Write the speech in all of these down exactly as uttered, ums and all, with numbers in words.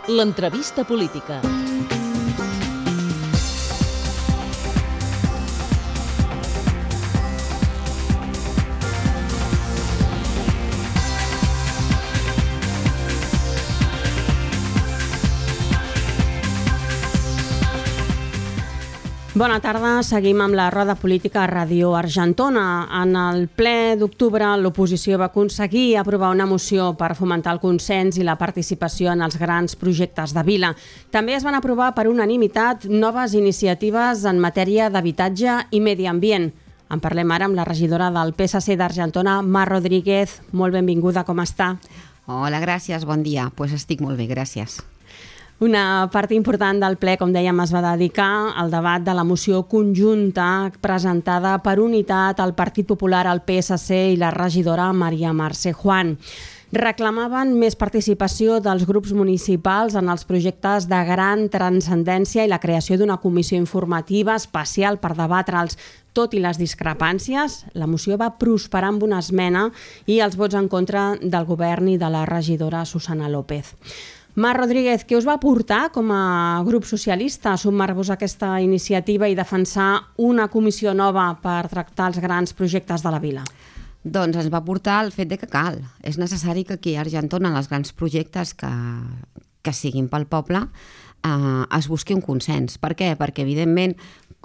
L'entrevista política. Bona tarda, seguim amb la roda política a Ràdio Argentona. En el ple d'octubre, l'oposició va aconseguir aprovar una moció per fomentar el consens i la participació en els grans projectes de vila. També es van aprovar per unanimitat noves iniciatives en matèria d'habitatge i medi ambient. En parlem ara amb la regidora del P S C d'Argentona, Mar Rodríguez. Molt benvinguda, com està? Hola, gràcies, bon dia. Pues estic molt bé, gràcies. Una part important del ple, com dèiem, es va dedicar al debat de la moció conjunta presentada per unitat al Partit Popular, al P S C i la regidora María Mercè Juan. Reclamaven més participació dels grups municipals en els projectes de gran transcendència i la creació d'una comissió informativa especial per debatre'ls. Tot i les discrepàncies, la moció va prosperar amb una esmena i els vots en contra del govern i de la regidora Susana López. Mar Rodríguez, què us va portar com a grup socialista a sumar-vos a aquesta iniciativa i defensar una comissió nova per tractar els grans projectes de la vila? Doncs ens va portar el fet de que cal. És necessari que aquí a Argentona, en els grans projectes que, que siguin pel poble, eh, es busqui un consens. Per què? Perquè, evidentment,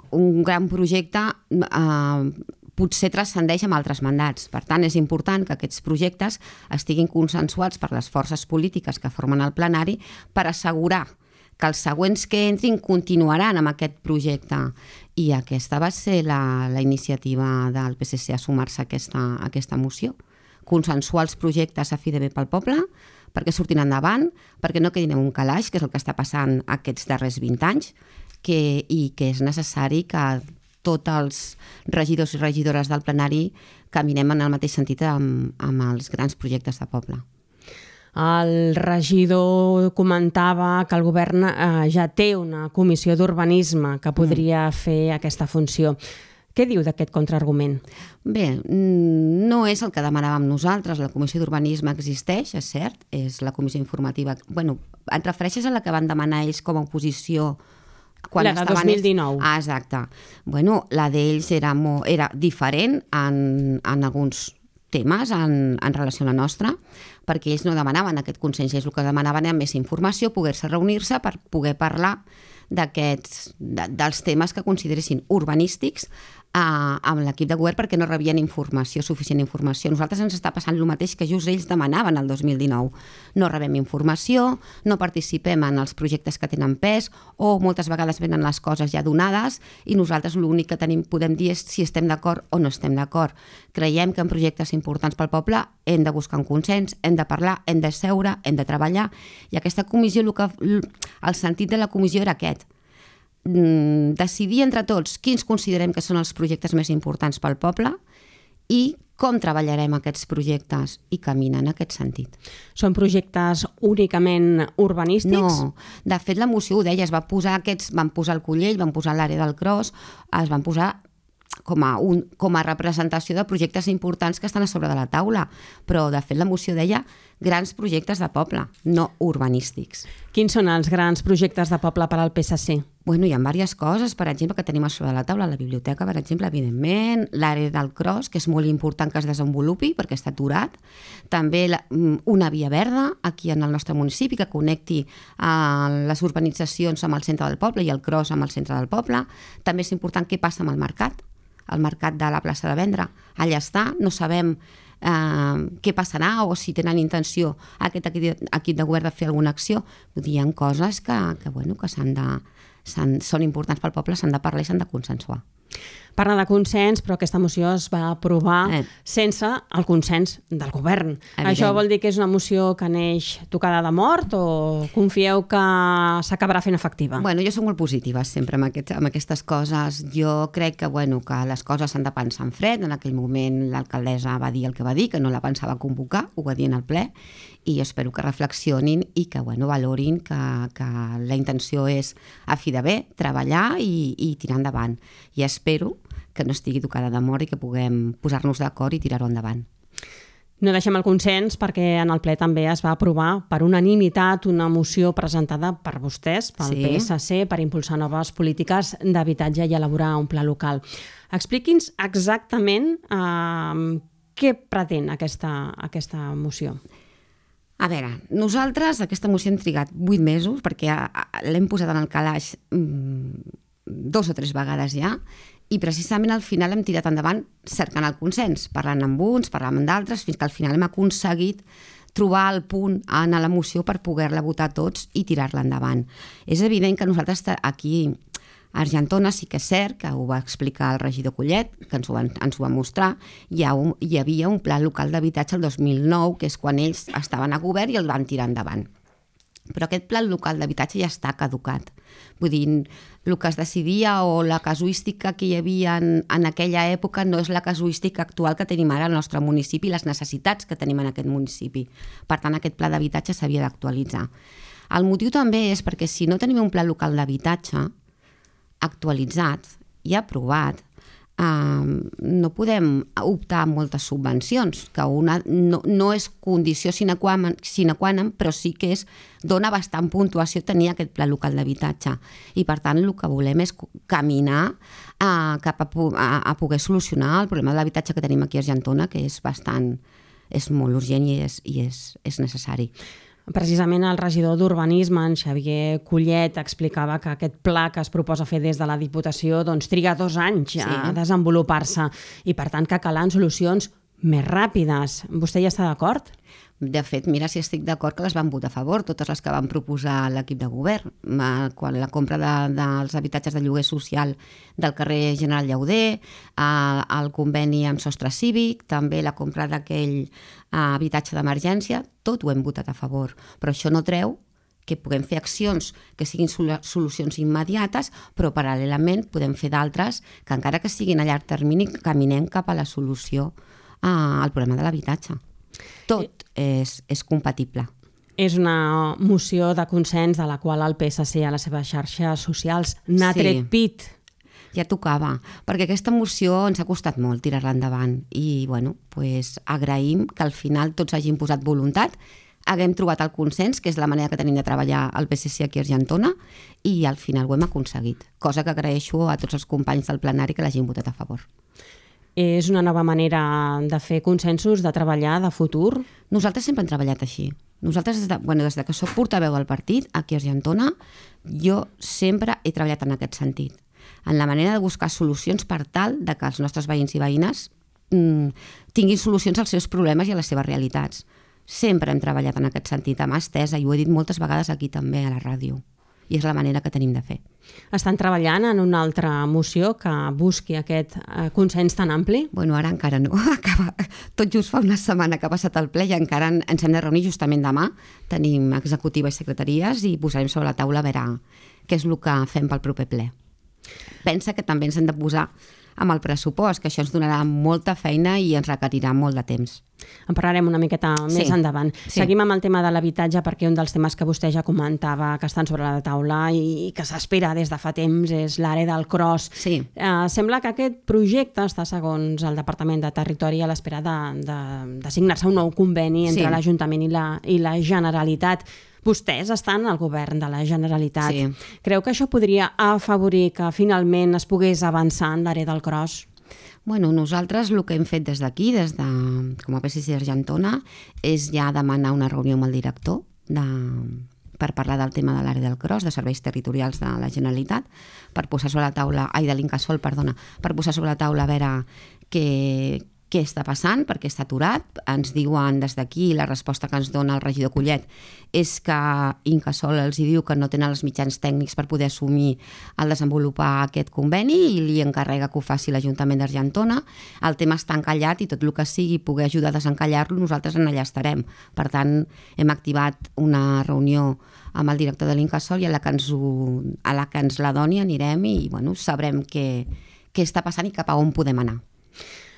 un gran projecte eh, potser transcendeix amb altres mandats. Per tant, és important que aquests projectes estiguin consensuats per les forces polítiques que formen el plenari per assegurar que els següents que entrin continuaran amb aquest projecte. I aquesta va ser la, la iniciativa del P S C a sumar-se a aquesta, a aquesta moció. Consensuar els projectes a fi de bé pel poble, perquè surtin endavant, perquè no quedin en un calaix, que és el que està passant aquests darrers vint anys, que, i que és necessari que tots els regidors i regidores del plenari caminem en el mateix sentit amb, amb els grans projectes de poble. El regidor comentava que el govern eh, ja té una comissió d'urbanisme que podria mm. fer aquesta funció. Què diu d'aquest contraargument? Bé, no és el que demanàvem nosaltres. La comissió d'urbanisme existeix, és cert, és la comissió informativa. Bueno, et refereixes a la que van demanar ells com a oposició quan la de dos mil dinou. Ah, exacte. Bueno, la d'ells era, molt, era diferent en, en alguns temes en, en relació a la nostra, perquè ells no demanaven aquest consens, ells el que demanaven era més informació, poder-se reunir-se per poder parlar d'aquests, de, dels temes que consideressin urbanístics eh, amb l'equip de govern, perquè no rebien informació, suficient informació. A nosaltres ens està passant el mateix que just ells demanaven el dos mil dinou. No rebem informació, no participem en els projectes que tenen pes, o moltes vegades venen les coses ja donades i nosaltres l'únic que tenim, podem dir és si estem d'acord o no estem d'acord. Creiem que en projectes importants pel poble hem de buscar un consens, hem de parlar, hem de seure, hem de treballar, i aquesta comissió, el, que, el sentit de la comissió era aquest: decidir entre tots quins considerem que són els projectes més importants pel poble i com treballarem aquests projectes, i camina en aquest sentit. Són projectes únicament urbanístics? No, de fet la moció ho deia, es va posar aquests, van posar el Collell, van posar l'àrea del Cros, es van posar com a, un, com a representació de projectes importants que estan a sobre de la taula, però de fet la moció deia grans projectes de poble, no urbanístics. Quins són els grans projectes de poble per al P S C? Bueno, hi ha diverses coses, per exemple, que tenim a sobre de la taula, la biblioteca, per exemple, evidentment, l'àrea del Cros, que és molt important que es desenvolupi perquè està aturat, també la, una via verda aquí en el nostre municipi que connecti eh, les urbanitzacions amb el centre del poble i el Cros amb el centre del poble. També és important què passa amb el mercat, el mercat de la plaça de Vendre. Allà està, no sabem eh, què passarà o si tenen intenció aquest equip de govern de fer alguna acció. Vull dir, hi ha coses que, que, bueno, que s'han de, s'han, són importants pel poble, s'han de parlar i s'han de consensuar. Parla de consens, però aquesta moció es va aprovar eh. sense el consens del govern. Evident. Això vol dir que és una moció que neix tocada de mort o confieu que s'acabarà fent efectiva? Bueno, jo soc molt positiva sempre amb, aquest, amb aquestes coses. Jo crec que, bueno, que les coses s'han de pensar en fred. En aquell moment l'alcaldessa va dir el que va dir, que no la pensava convocar, ho va dir en el ple, i jo espero que reflexionin i que, bueno, valorin que, que la intenció és, a fi de bé, treballar i, i tirar endavant. I espero que no estigui tocada de mort i que puguem posar-nos d'acord i tirar-ho endavant. No deixem el consens perquè en el ple també es va aprovar per unanimitat una moció presentada per vostès, pel Sí. P S C, per impulsar noves polítiques d'habitatge i elaborar un pla local. Expliqui'ns exactament eh, què pretén aquesta, aquesta moció. A veure, nosaltres aquesta moció hem trigat vuit mesos perquè l'hem posat en el calaix mmm, dos o tres vegades ja, i precisament al final hem tirat endavant cercant el consens, parlant amb uns, parlant amb d'altres, fins que al final hem aconseguit trobar el punt en la moció per poder-la votar tots i tirar-la endavant. És evident que nosaltres aquí a Argentona sí que és cert, que ho va explicar el regidor Collet, que ens ho, van, ens ho va mostrar, hi, ha un, hi havia un pla local d'habitatge el dos mil nou, que és quan ells estaven a govern i el van tirar endavant. Però aquest pla local d'habitatge ja està caducat. Vull dir, el que es decidia o la casuística que hi havia en, en aquella època no és la casuística actual que tenim ara al nostre municipi i les necessitats que tenim en aquest municipi. Per tant, aquest pla d'habitatge s'havia d'actualitzar. El motiu també és perquè si no tenim un pla local d'habitatge actualitzat i aprovat, Uh, no podem optar a moltes subvencions, que una no, no és condició sine qua, sine qua non, però sí que és, dona bastant puntuació tenir aquest pla local d'habitatge. I per tant el que volem és caminar uh, cap a, a, a poder solucionar el problema de l'habitatge que tenim aquí a Argentona, que és bastant, és molt urgent i és, i és, és necessari. Precisament el regidor d'Urbanisme, en Xavier Collet, explicava que aquest pla que es proposa fer des de la Diputació doncs, triga dos anys sí. a desenvolupar-se i, per tant, que calen solucions més ràpides. Vostè hi està d'acord? De fet, mira si estic d'acord que les van votar a favor, totes les que van proposar l'equip de govern. Quan la compra de, dels habitatges de lloguer social del carrer General Llauder, el conveni amb sostre cívic, també la compra d'aquell habitatge d'emergència, tot ho hem votat a favor. Però això no treu que puguem fer accions que siguin solucions immediates, però paral·lelament podem fer d'altres que encara que siguin a llarg termini caminem cap a la solució al problema de l'habitatge. Tot és, és compatible. És una moció de consens de la qual el P S C a les seves xarxes socials n'ha sí. tret pit. Ja tocava, perquè aquesta moció ens ha costat molt tirar-la endavant i bueno, pues, agraïm que al final tots hagin posat voluntat, haguem trobat el consens, que és la manera que tenim de treballar el P S C aquí a Argentona, i al final ho hem aconseguit, cosa que agraeixo a tots els companys del plenari que l'hagin votat a favor. És una nova manera de fer consensos, de treballar, de futur? Nosaltres sempre hem treballat així. Nosaltres, des de, bueno, des de que soc portaveu del partit, aquí a Argentona, jo sempre he treballat en aquest sentit. En la manera de buscar solucions per tal de que els nostres veïns i veïnes mmm, tinguin solucions als seus problemes i a les seves realitats. Sempre hem treballat en aquest sentit, amb mà estesa, i ho he dit moltes vegades aquí també a la ràdio. I és la manera que tenim de fer. Estan treballant en una altra moció que busqui aquest eh, consens tan ampli? Bueno, ara encara no. Acaba, tot just fa una setmana que ha passat el ple i encara ens hem de reunir justament demà. Tenim executiva i secretaries i posarem sobre la taula a veure què és el que fem pel proper ple. Pensa que també ens hem de posar amb el pressupost, que això ens donarà molta feina i ens requerirà molt de temps. En parlarem una miqueta més sí. endavant. Sí. Seguim amb el tema de l'habitatge perquè un dels temes que vostè ja comentava que estan sobre la taula i que s'espera des de fa temps és l'àrea del Cros. Sí. Eh, sembla que aquest projecte està, segons el Departament de Territori, a l'espera de, de, de signar-se un nou conveni entre sí. l'Ajuntament i la, i la Generalitat. Vostès estan al govern de la Generalitat. Sí. Creu que això podria afavorir que finalment es pogués avançar en l'àrea del Cros? Bueno, nosaltres el que hem fet des d'aquí, des de, com a P S C Argentona, és ja demanar una reunió amb el director de, per parlar del tema de l'àrea del Cros, de serveis territorials de la Generalitat, per posar sobre la taula, ai, de l'Incasòl, perdona, per posar sobre la taula a veure què, què està passant, perquè està aturat. Ens diuen des d'aquí, la resposta que ens dona el regidor Collet és que Incasòl els diu que no tenen els mitjans tècnics per poder assumir el desenvolupar aquest conveni i li encarrega que ho faci l'Ajuntament d'Argentona. El tema està encallat i tot el que sigui poder ajudar a desencallar-lo, nosaltres en allà estarem. Per tant, hem activat una reunió amb el director de l'Incasòl i a la que ens, ho, a la, que ens la doni anirem i bueno, sabrem què, què està passant i cap a on podem anar.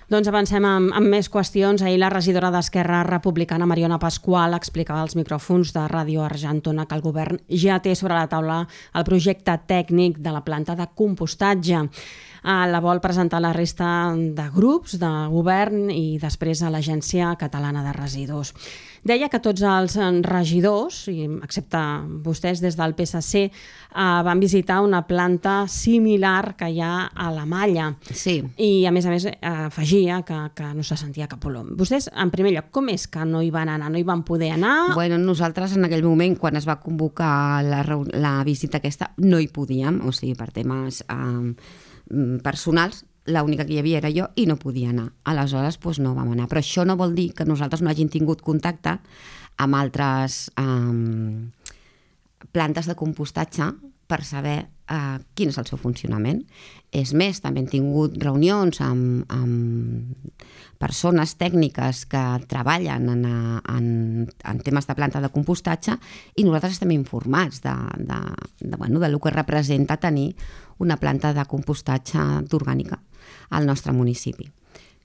Doncs avancem amb, amb més qüestions. Ahir la regidora d'Esquerra Republicana, Mariona Pasqual, explicava als micròfons de Ràdio Argentona que el govern ja té sobre la taula el projecte tècnic de la planta de compostatge. la vol presentar a la resta de grups de govern i després a l'Agència Catalana de Residus. Deia que tots els regidors, excepte vostès des del P S C, van visitar una planta similar que hi ha a la Malla. Sí. I, a més a més, afegia que, que no se sentia cap olor. Vostès, en primer lloc, com és que no hi van anar? No hi van poder anar? Bueno, nosaltres en aquell moment, quan es va convocar la, la visita aquesta, no hi podíem, o sigui, per temes eh, personals, l'única que hi havia era jo i no podia anar. Aleshores, doncs no vam anar. Però això no vol dir que nosaltres no hagin tingut contacte amb altres eh, plantes de compostatge per saber eh, quin és el seu funcionament. És més, també hem tingut reunions amb, amb persones tècniques que treballen en, en, en temes de planta de compostatge i nosaltres estem informats de, de, de, bueno, de lo que representa tenir una planta de compostatge d'orgànica al nostre municipi.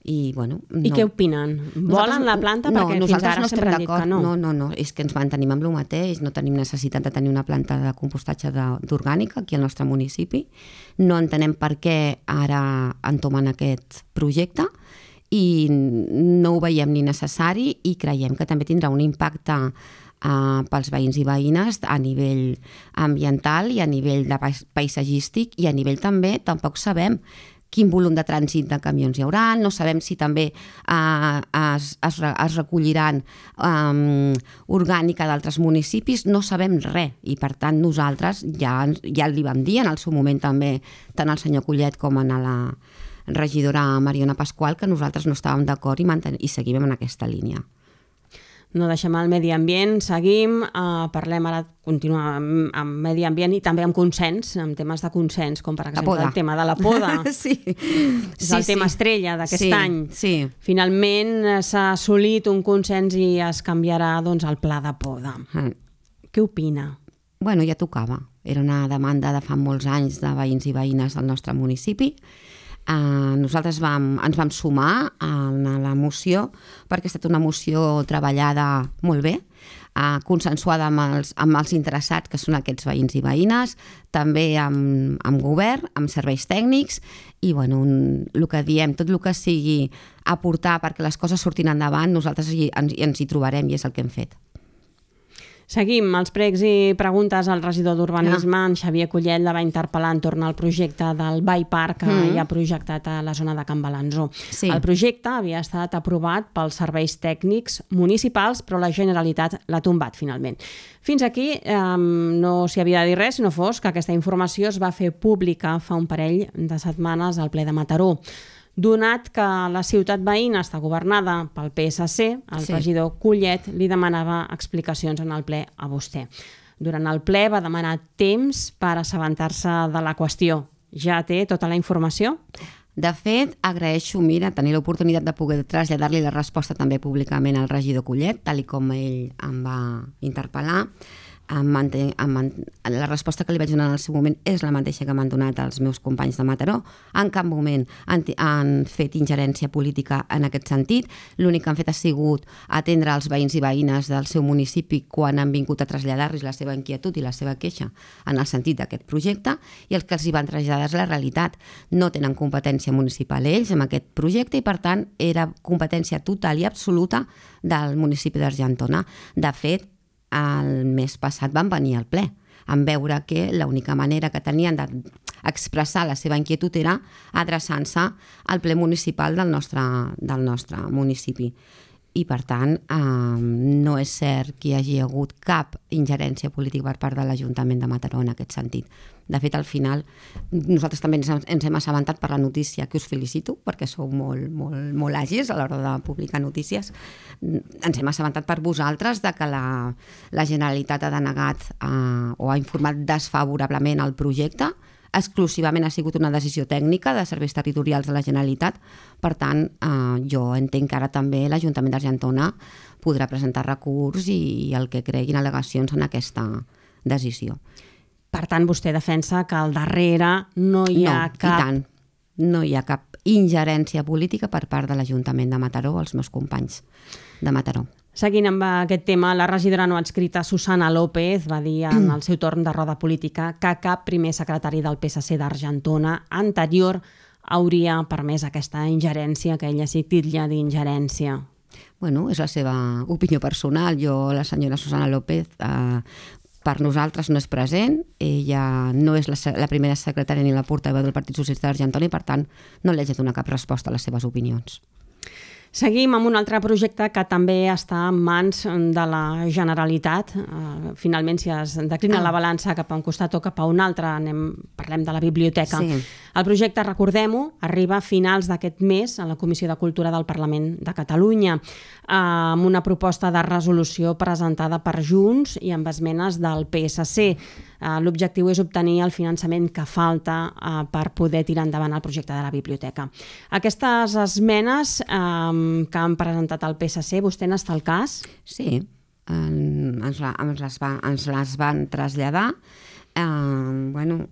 I, bueno, no. I què opinen? Volen la planta? No, perquè fins ara no sempre han dit que no. No, no, no, és que ens mantenim amb el mateix, no tenim necessitat de tenir una planta de compostatge d'orgànica aquí al nostre municipi. No entenem per què ara entomen aquest projecte i no ho veiem ni necessari i creiem que també tindrà un impacte uh, pels veïns i veïnes a nivell ambiental i a nivell de paisatgístic i a nivell també, tampoc sabem quin volum de trànsit de camions hi haurà, no sabem si també eh, es, es, es recolliran eh, orgànica d'altres municipis, no sabem res i per tant nosaltres ja, ja li vam dir en el seu moment també tant al senyor Collet com a la regidora Mariona Pasqual que nosaltres no estàvem d'acord i, manten- i seguim en aquesta línia. No deixem el medi ambient, seguim, eh, parlem ara, continuem amb, amb medi ambient i també amb consens, amb temes de consens, com per exemple el tema de la poda. Sí. És sí, el tema sí. estrella d'aquest sí, any. Sí. Finalment s'ha assolit un consens i es canviarà doncs, el pla de poda. Mm. Què opina? Bueno, ja tocava. Era una demanda de fa molts anys de veïns i veïnes del nostre municipi. Uh, nosaltres vam, ens vam sumar a la moció perquè ha estat una moció treballada molt bé, uh, consensuada amb els, amb els interessats que són aquests veïns i veïnes, també amb, amb govern, amb serveis tècnics i bueno, un, el que diem, tot el que sigui aportar perquè les coses surtin endavant, nosaltres hi, ens, ens hi trobarem i és el que hem fet. Seguim els pregs i preguntes al regidor d'Urbanisme. Ah. En Xavier Collet la va interpel·lar entorn al projecte del Bike Park que mm. hi ha projectat a la zona de Can Balanzó. Sí. El projecte havia estat aprovat pels serveis tècnics municipals, però la Generalitat l'ha tombat finalment. Fins aquí eh, no s'hi havia de dir res, si no fos que aquesta informació es va fer pública fa un parell de setmanes al ple de Mataró. Donat que la ciutat veïna està governada pel P S C, el sí. regidor Collet li demanava explicacions en el ple a vostè. Durant el ple va demanar temps per assabentar-se de la qüestió. Ja té tota la informació? De fet, agraeixo, mira, tenir l'oportunitat de poder traslladar-li la resposta també públicament al regidor Collet, tal com ell em va interpel·lar. La resposta que li vaig donar en el seu moment és la mateixa que m'han donat els meus companys de Mataró. En cap moment han, han fet ingerència política en aquest sentit. L'únic que han fet ha sigut atendre els veïns i veïnes del seu municipi quan han vingut a traslladar-los la seva inquietud i la seva queixa en el sentit d'aquest projecte i els que els hi van traslladar és la realitat. No tenen competència municipal ells amb aquest projecte i per tant era competència total i absoluta del municipi d'Argentona. De fet, el mes passat van venir al ple en veure que l'única manera que tenien d'expressar la seva inquietud era adreçant-se al ple municipal del nostre, del nostre municipi. I, per tant, eh, no és cert que hi hagi hagut cap ingerència política per part de l'Ajuntament de Mataró en aquest sentit. De fet, al final, nosaltres també ens, ens hem assabentat per la notícia, que us felicito, perquè sou molt, molt, molt àgils a l'hora de publicar notícies. Ens hem assabentat per vosaltres de que la, la Generalitat ha denegat eh, o ha informat desfavorablement el projecte. Exclusivament ha sigut una decisió tècnica de serveis territorials de la Generalitat. Per tant, eh, jo entenc que ara també l'Ajuntament d'Argentona podrà presentar recurs i el que creguin al·legacions en aquesta decisió. Per tant, vostè defensa que al darrere no hi ha no, cap... i tant. No hi ha cap ingerència política per part de l'Ajuntament de Mataró, els meus companys de Mataró. Seguint amb aquest tema, la regidora no adscrita Susana López va dir en el seu torn de roda política que cap primer secretari del P S C d'Argentona anterior hauria permès aquesta ingerència, que ella sí titlla d'ingerència? Bueno, és la seva opinió personal. Jo, la senyora Susana López, eh, per nosaltres no és present, ella no és la, la primera secretària ni la portaveu del Partit Socialista d'Argentona i per tant no li haig de donar cap resposta a les seves opinions. Seguim amb un altre projecte que també està en mans de la Generalitat. Finalment, si es declina ah. la balança cap a un costat o cap a un altre, anem, parlem de la biblioteca. Sí. El projecte, recordem-ho, arriba a finals d'aquest mes a la Comissió de Cultura del Parlament de Catalunya, amb una proposta de resolució presentada per Junts i amb esmenes del P S C. L'objectiu és obtenir el finançament que falta per poder tirar endavant el projecte de la biblioteca. Aquestes esmenes que han presentat el P S C, vostè n'està al cas? Sí, ens, la, ens, les, va, ens les van traslladar. Eh, bueno,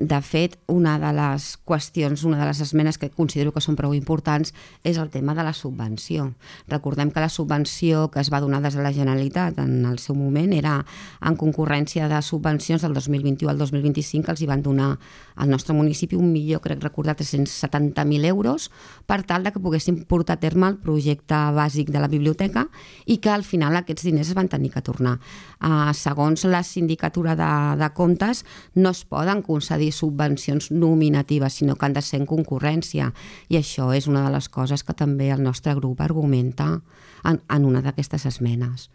de fet, una de les qüestions, una de les esmenes que considero que són prou importants és el tema de la subvenció. Recordem que la subvenció que es va donar des de la Generalitat en el seu moment era en concurrència de subvencions del dos mil vint-i-u al dos mil vint-i-cinc que els hi van donar al nostre municipi un milió, crec recordar, tres-cents setanta mil euros per tal de que poguéssim portar a terme el projecte bàsic de la biblioteca i que al final aquests diners es van tenir que tornar. Uh, segons la sindicatura de, de comptes, no es poden concedir subvencions nominatives, sinó que han de ser en concurrència. I això és una de les coses que també el nostre grup argumenta en, en una d'aquestes esmenes.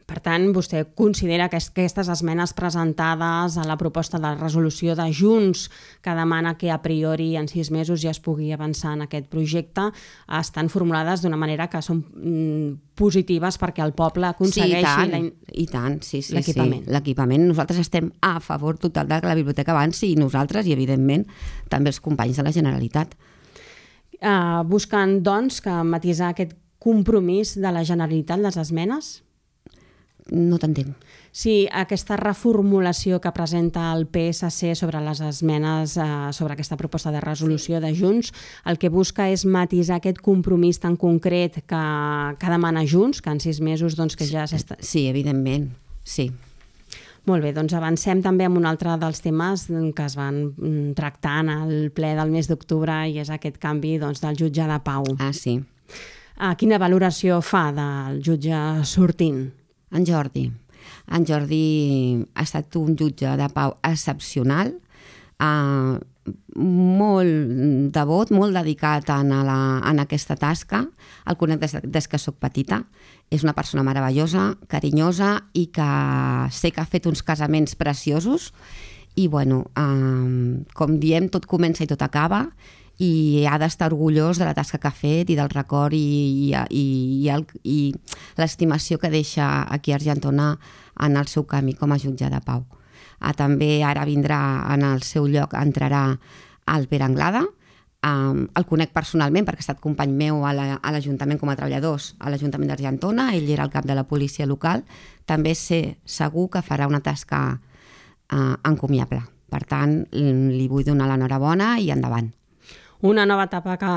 Per tant, vostè considera que aquestes esmenes presentades a la proposta de resolució de Junts, que demana que a priori en sis mesos ja es pugui avançar en aquest projecte, estan formulades d'una manera que són mm, positives perquè el poble aconsegueixi sí, i tant, i tant, sí, sí, l'equipament. Sí. L'equipament. Nosaltres estem a favor total de que la biblioteca avanci i nosaltres i, evidentment, també els companys de la Generalitat. Uh, busquen, doncs, que matisar aquest compromís de la Generalitat, les esmenes? No t'entenc. Sí, aquesta reformulació que presenta el P S C sobre les esmenes, eh, sobre aquesta proposta de resolució de Junts, el que busca és matisar aquest compromís tan concret que, que demana Junts, que en sis mesos doncs, que ja s'està... Sí, evidentment, sí. Molt bé, doncs avancem també amb un altre dels temes que es van tractar en el ple del mes d'octubre i és aquest canvi doncs, del jutge de pau. Ah, sí. Ah, quina valoració fa del jutge sortint? En Jordi. En Jordi ha estat un jutge de pau excepcional, eh, molt devot, molt dedicat en, la, en aquesta tasca. El conec des, des que soc petita. És una persona meravellosa, carinyosa i que sé que ha fet uns casaments preciosos. I, bueno, eh, com diem, tot comença i tot acaba i ha d'estar orgullós de la tasca que ha fet i del record i, i, i, i, i l'estimació que deixa aquí a Argentona en el seu camí com a jutge de pau. Ah, també ara vindrà en el seu lloc, entrarà el Pere Anglada. Um, el conec personalment perquè ha estat company meu a l'Ajuntament com a treballadors a l'Ajuntament d'Argentona, ell era el cap de la policia local. També sé segur que farà una tasca uh, encomiable. Per tant, li vull donar l'enhorabona i endavant. Una nova etapa que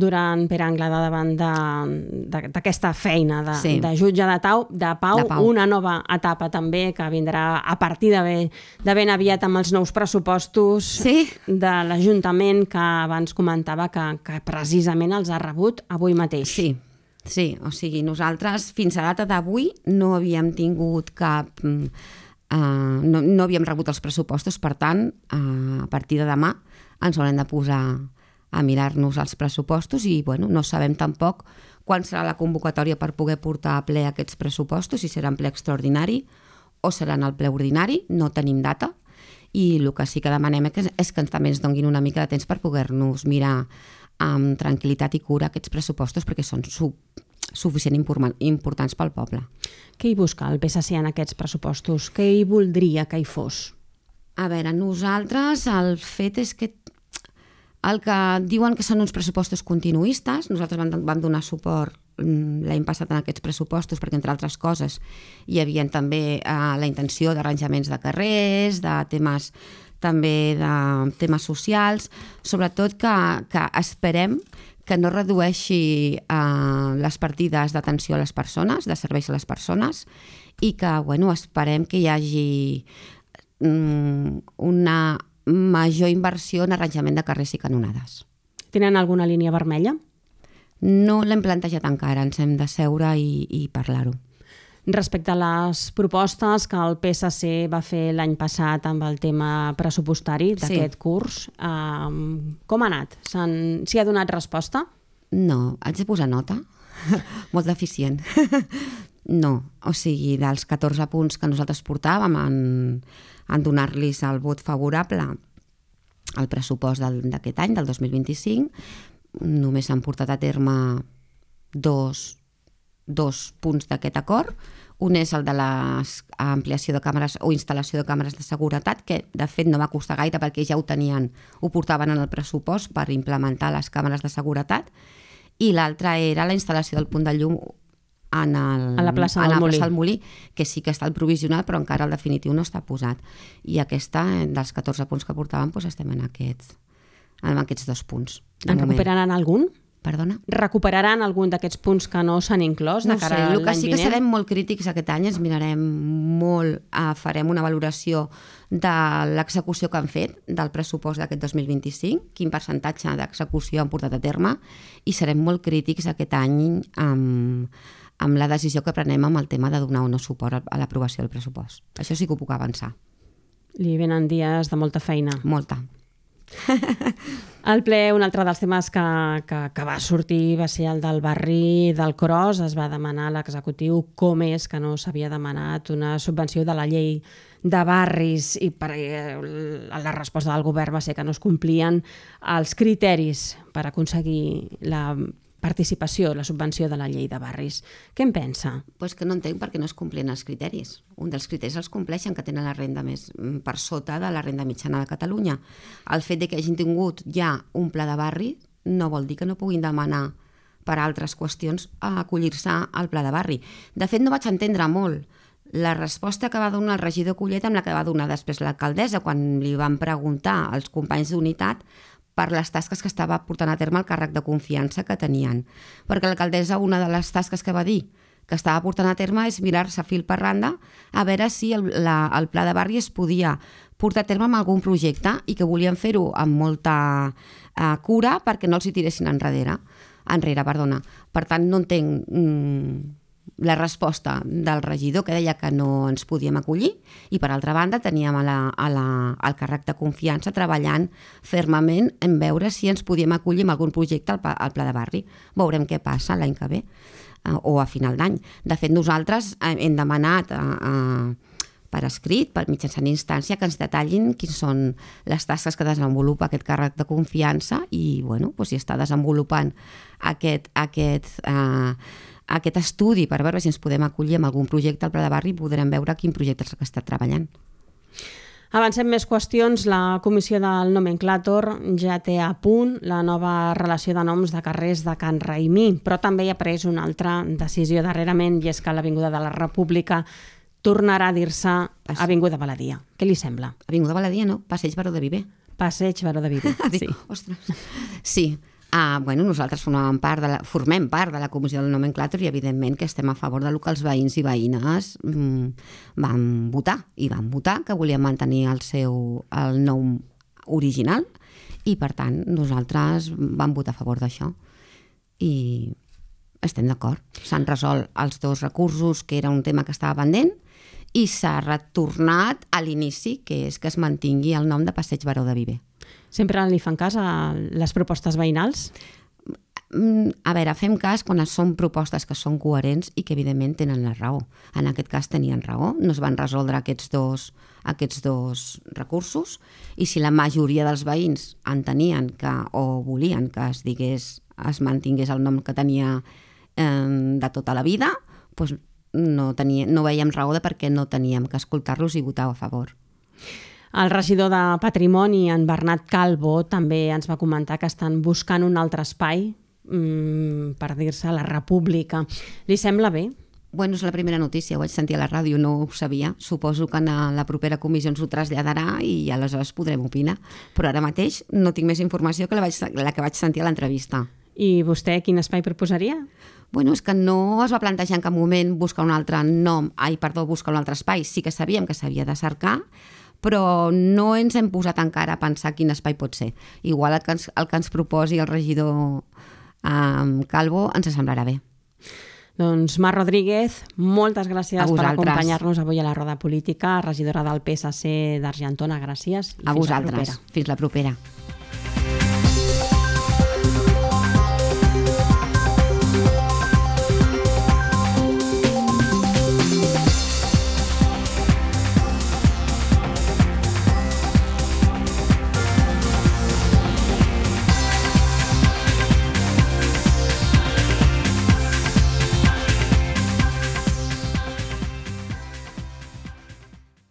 durant Pere Anglada davant d'aquesta feina de, sí. de jutge de, tau, de, pau, de pau, una nova etapa també que vindrà a partir de, ben, de ben aviat amb els nous pressupostos sí. de l'Ajuntament que abans comentava que, que precisament els ha rebut avui mateix. Sí, sí, o sigui, nosaltres fins a data d'avui no havíem tingut cap... Uh, no, no havíem rebut els pressupostos, per tant, uh, a partir de demà ens haurem de posar a mirar-nos els pressupostos i bueno, no sabem tampoc quan serà la convocatòria per poder portar a ple aquests pressupostos, si serà en ple extraordinari o serà en el ple ordinari, no tenim data i el que sí que demanem és que també ens donguin una mica de temps per poder-nos mirar amb tranquil·litat i cura aquests pressupostos perquè són sub suficient importants pel poble. Què hi busca el P S C en aquests pressupostos? Què hi voldria que hi fos? A veure, nosaltres el fet és que el que diuen que són uns pressupostos continuistes, nosaltres vam, vam donar suport l'any passat en aquests pressupostos perquè, entre altres coses, hi havia també eh, la intenció d'arranjaments de carrers, de temes també de temes socials, sobretot que, que esperem que no redueixi eh, les partides d'atenció a les persones, de serveis a les persones, i que bueno, esperem que hi hagi mm, una major inversió en arranjament de carrers i canonades. Tenen alguna línia vermella? No l'hem plantejat encara, ens hem de seure i, i parlar-ho. Respecte a les propostes que el P S C va fer l'any passat amb el tema pressupostari d'aquest sí. curs, eh, com ha anat? S'hi ha donat resposta? No, haig de posar nota? Molt deficient. No, o sigui, dels catorze punts que nosaltres portàvem en, en donar-los el vot favorable al pressupost d'aquest any, del dos mil vint-i-cinc, només s'han portat a terme dos, dos punts d'aquest acord. Un és el de l'ampliació de càmeres o instal·lació de càmeres de seguretat, que de fet no va costar gaire perquè ja ho tenien, ho portaven en el pressupost per implementar les càmeres de seguretat, i l'altre era la instal·lació del punt de llum en el, a la plaça del, la Molí. plaça del Molí, que sí que està el provisional, però encara el definitiu no està posat. I aquesta, dels catorze punts que portàvem, doncs estem en aquests, en aquests dos punts. En recuperaran algun? Perdona? Recuperaran algun d'aquests punts que no s'han inclòs de no cara sé, a l'any el que sí que vinent? serem molt crítics aquest any, ens mirarem molt, eh, farem una valoració de l'execució que han fet del pressupost d'aquest dos mil vint-i-cinc, quin percentatge d'execució han portat a terme, i serem molt crítics aquest any amb, amb la decisió que prenem amb el tema de donar o no suport a l'aprovació del pressupost. Això sí que ho puc avançar. Li venen dies de molta feina. Molta. Al ple, un altre dels temes que, que, que va sortir va ser el del barri del Cros. Es va demanar a l'executiu com és que no s'havia demanat una subvenció de la llei de barris, i per, eh, la resposta del govern va ser que no es complien els criteris per aconseguir la participació, la subvenció de la llei de barris. Què en pensa? Pues que no entenc per què no es complien els criteris. Un dels criteris els compleixen, que tenen la renda més per sota de la renda mitjana de Catalunya. El fet de que hagin tingut ja un pla de barri no vol dir que no puguin demanar per altres qüestions a acollir-se al pla de barri. De fet, no vaig entendre molt la resposta que va donar el regidor Collet amb la que va donar després l'alcaldessa quan li van preguntar als companys d'unitat per les tasques que estava portant a terme el càrrec de confiança que tenien. Perquè l'alcaldessa, una de les tasques que va dir que estava portant a terme és mirar-se fil per randa a veure si el, la, el pla de barri es podia portar a terme amb algun projecte i que volien fer-ho amb molta eh, cura perquè no els hi tiressin enrere. enrere. Perdona. Per tant, no entenc mm, la resposta del regidor que deia que no ens podíem acollir, i per altra banda teníem a la, a la, al càrrec de confiança treballant fermament en veure si ens podíem acollir amb algun projecte al, al pla de barri. Veurem què passa l'any que ve eh, o a final d'any. De fet, nosaltres hem demanat a, a, per escrit, per mitjançant instància, que ens detallin quins són les tasques que desenvolupa aquest càrrec de confiança i, bueno, doncs, si està desenvolupant aquest, aquest, eh, aquest estudi per veure si ens podem acollir amb algun projecte al pla de barri, podrem veure quin projecte és el que està treballant. Avancem més qüestions. La Comissió del Nomenclàtor ja té a punt la nova relació de noms de carrers de Can Raimí, però també hi ha pres una altra decisió darrerament, i és que l'Avinguda de la República tornarà a dir-se Avinguda Baladia. Què li sembla? Avinguda Baladia, no? Passeig Baró de Viver. Passeig Baró de Viver, sí. Ostres. Sí. Ah, bueno, nosaltres formem part, de la, formem part de la Comissió del Nomenclàtor i evidentment que estem a favor del que els veïns i veïnes mm, van votar, i van votar que volien mantenir el seu el nom original, i per tant nosaltres vam votar a favor d'això i estem d'acord. S'han resolt els dos recursos, que era un tema que estava pendent, i s'ha retornat a l'inici, que és que es mantingui el nom de Passeig Baró de Viver. Sempre li fan cas a les propostes veïnals? A veure, fem cas quan són propostes que són coherents i que evidentment tenen la raó. En aquest cas tenien raó, no es van resoldre aquests dos, aquests dos recursos, i si la majoria dels veïns entenien que, o volien que es digués, es mantingués el nom que tenia eh, de tota la vida, doncs no, tenia, no veiem raó de per què no teníem que escoltar-los i votar a favor. El regidor de Patrimoni, en Bernat Calvo, també ens va comentar que estan buscant un altre espai mmm, per dir-se la República. Li sembla bé? Bueno, és la primera notícia, ho vaig sentir a la ràdio, no ho sabia. Suposo que en la propera comissió ens ho traslladarà i aleshores podrem opinar. Però ara mateix no tinc més informació que la, vaig, la que vaig sentir a l'entrevista. I vostè quin espai proposaria? Bueno, és que no es va plantejar en cap moment buscar un altre nom, ai, perdó, buscar un altre espai. Sí que sabíem que s'havia de cercar, però no ens hem posat encara a pensar quin espai pot ser. Igual el que ens, el que ens proposi el regidor um, Calvo ens semblarà bé. Doncs Mar Rodríguez, moltes gràcies per vosaltres. acompanyar-nos avui a la Roda Política, regidora del P S C d'Argentona, gràcies. I a fins vosaltres. La fins la propera.